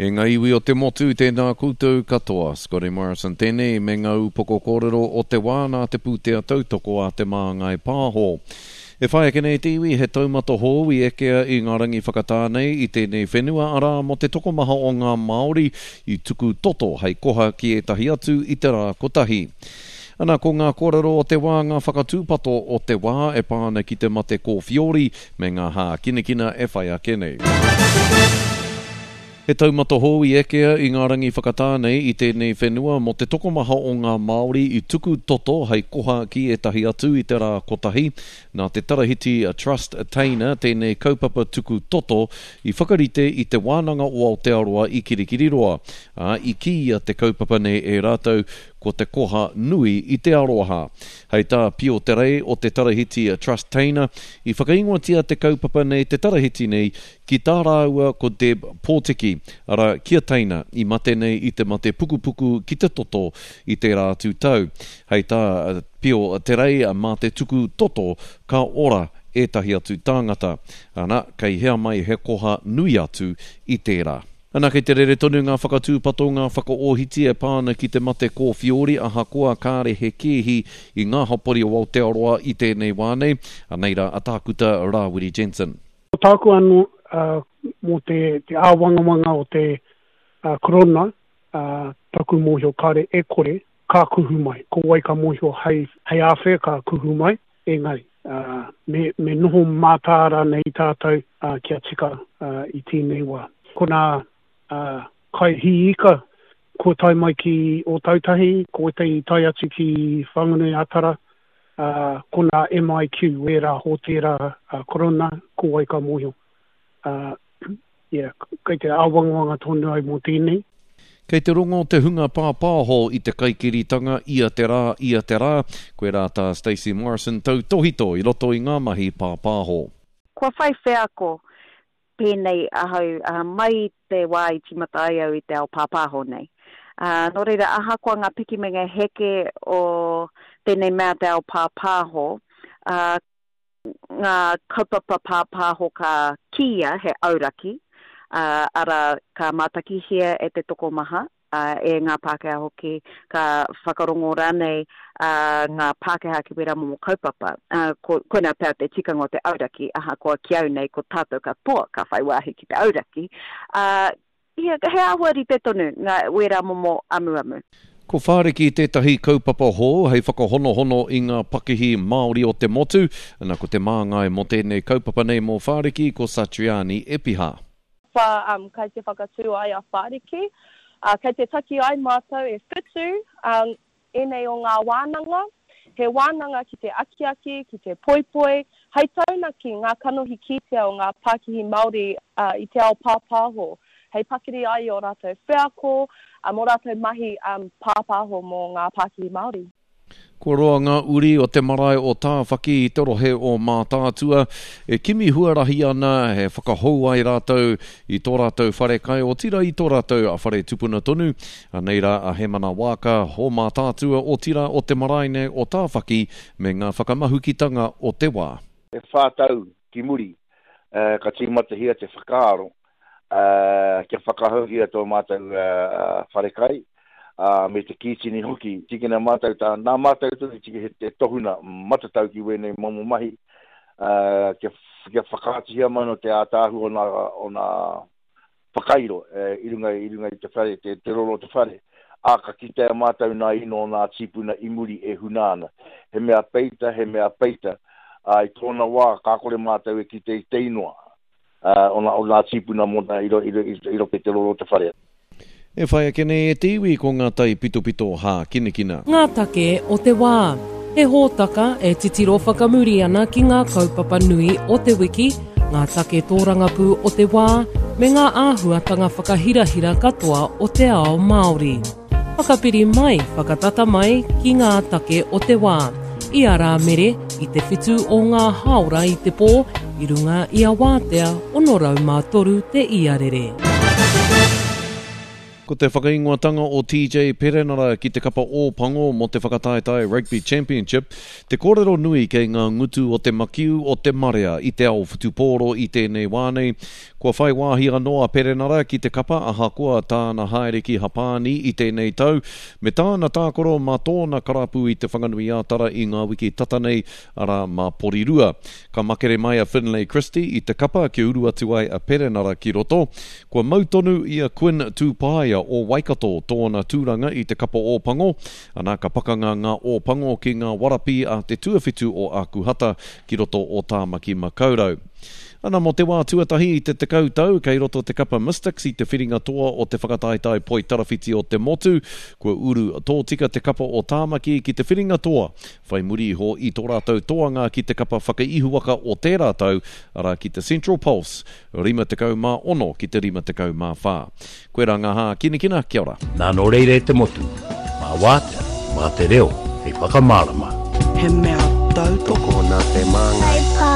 E ngā iwi o te motu, tēnā koutou katoa. Scotty Morrison tēnei me ngā upoko kōrero o te wā nā te pūtea tautoko a Te Māngai Pāho. E whai ake nei te iwi he taumata hou i ekea i ngā rangi whakatā nei i tēnei whenua, arā, mō te tokomaha o ngā Māori i tuku toto hei koha ki ētahi atu i te rā kotahi. Ana, ko ngā kōrero o te wā ngā whakatūpato o te wā e pā ana ki te mate kōwhiori me ngā hākinakina e whai ake nei. He taumata hou i ekea i ngā rangi whakatā nei i tēnei whenua mō te tokomaha o ngā Māori i tuku toto hei koha ki ētahi atu i te rā kotahi. Nā te Tarahiti Trust Teina tēnei kaupapa tuku toto i whakarite i Te Wānanga o Aotearoa i Kirikiriroa, ā, i kīia te kaupapa nei e rātou ko te koha nui i te aroha. Hei tā Pio Te Rei o te Tarahiti Trust Teina, i whakaingoatia te kaupapa nei te tarahiti nei ki tā rāua ko Deb Pōtiki, arā, ki a Teina, i mate nei i te mate pukupuku ki te toto i tērā atu tau. Hei tā Pio Te Rei, mā te tuku toto ka ora ētahi atu tāngata. Ana, kei hea mai he koha nui atu i tērā. Ana, kei te rere tonu ngā whakatūpato, ngā whakaōhiti e pā ana ki te mate kōwhiori, ahakoa kāre he kēhi i ngā hapori o Aotearoa i tēnei wā nei. Anei rā a Tākuta Rāwiri Jensen. Ko tāku anō mō te āwangawanga o te korona, taku mōhio kāre e kore, ka kuhu mai. Ko wai ka mōhio hei āwhea ka kuhu mai, engari me, me noho mātāra nei tātou kia tika i tēnei wā. Ko nā kai hī ika kua tae mai ki Ōtautahi, ko wētahi i tae atu ki Whanganui-a-Tara, ko nā MIQ, wērā hōtēra korona, ko wai ka mōhio. Yeah, kei te āwangawanga tonu au mō tēnei. Kei te rongo te hunga pāpāho i te kaikiritanga ia te rā, ia te rā, koirā tā Stacey Morrison tautōhito i roto i ngā mahi pāpāho. Kua whai wheako pēnei ahau mai i te wā i tīmata ai au i te ao pāpāho nei. Nō reira, ahakoa ngā piki me ngā heke o tēnei mea te ao pāpāho, ngā kaupapa pāpāho ka kīia he auraki, ā, arā, ka mātakihia e te tokomaha, ā, e ngā Pākehā hoki, ka whakarongo rānei ngā Pākehā ki wērā momo kaupapa. Ā, ko, koinā pea te tikanga o te auraki, ahakoa ki au nei ko tātou katoa ka whai wāhi ki te auraki, ā, He āhua rite tonu ngā wērā momo amuamu. Ko Whāriki tētahi kaupapa hou hei whakahonohono i ngā pakihi Māori o te motu. Na, ko te māngai mō tēnei kaupapa nei mō Whāriki ko Satriani Epiha. Wha, um, kai te whakatū ai a Whāriki. Uh, kei te taki ai mātou e whitu, um, Ēnei o ngā wānanga, he wānanga ki te akiaki, ki te poipoi, hei taunaki ngā kanohi kitea o ngā pākihi Māori i te ao pāpāho, hei pakiri ai i ō rātou wheako, mō rātou mahi pāpāho mō ngā pākihi Māori. Kua roa ngā uri o te marae o Tāwhaki i te rohe o Mātaatua e kimi huarahi ana e whakahou ai rātou i tō rātou wharekai, otirā i tō rātou whare tupuna tonu. Anei rā a Hemana Waaka, o Mātaatua, otirā o te marae nei o Tāwhaki me ngā whakamahukitanga o te wā. E whā tau ki muri, ka tīmatahia te whakaaro kia whakahouhia tō mātou wharekai, me te kītini hoki. Tīkina mātou tā, nā mātou tonu i tiki he te tohuna matatau ki wēnei momo mahi, kia, kia whakaatuhia mai no te ātaahua o nā, o nā whakairo i runga, i runga i te whare, te, te roro o te whare. Ā, ka kitea mātou nā ino o nā tīpuna i muri e huna ana. He mea peita, he mea peita, ā, i tōna wā, ka kore mātou e kite i te inoa. o nā, o nā tīpuna mōna i, i, i, i roto i te roro o te whare. E whai ake nei e te iwi ko ngā taipitopito hākinakina. Ngā take o te wā. He hōtaka e titiro whakamuri ana ki ngā kaupapa nui o te wiki, ngā take tōrangapū o te wā, me ngā āhuatanga whakahirahira katoa o te ao Māori. Whakapiri mai, whakatata mai ki ngā take o te wā. I a Rāmere, i te whitu o ngā hāora i te pō, i runga i a Wātea 603 te iarere. Ko te whakaingoatanga o TJ Perenara ki te kapa Ōpango mō te whakataetae Rugby Championship, te kōrero nui kei ngā ngutu o te makiu o te marea i te ao whutupōro i tēnei wā nei. Kua whai wāhi anō a Perenara ki te kapa ahakoa tāna haere ki Hapāni i tēnei tau, me tāna tākaro mā tōna karapu i Te Whanganui-ā-Tara i ngā wiki tata nei, arā, mā Porirua. Ka makere mai a Finlay Christie i te kapa kia uru atu ai a Perenara ki roto. Kua mau tonu i a Quinn Tūpaea o Waikato tōna tūranga i te kapa Ōpango, ana ka pakanga ngā Ōpango ki ngā Warapī a te tuawhitu o Ākuhata ki roto o Tāmaki Makaurau. Ana mō te wā tuatahi i te 10 tau kei roto te kapa Mystics i te whiringa toa o te whakataetae poitarawhiti o te motu, kua uru tōtika te kapa o Tāmaki ki te whiringa toa whai muri iho i tō rātou toanga ki te kapa whakaihuwaka o tērā tau, arā ki te Central Pulse, 56 ki te 54. Koirā ngā hākinakina, kia ora. Nā nō reira e te motu, mā wātea, mā te reo hei whakamārama. He mea tautoko nā te māngai.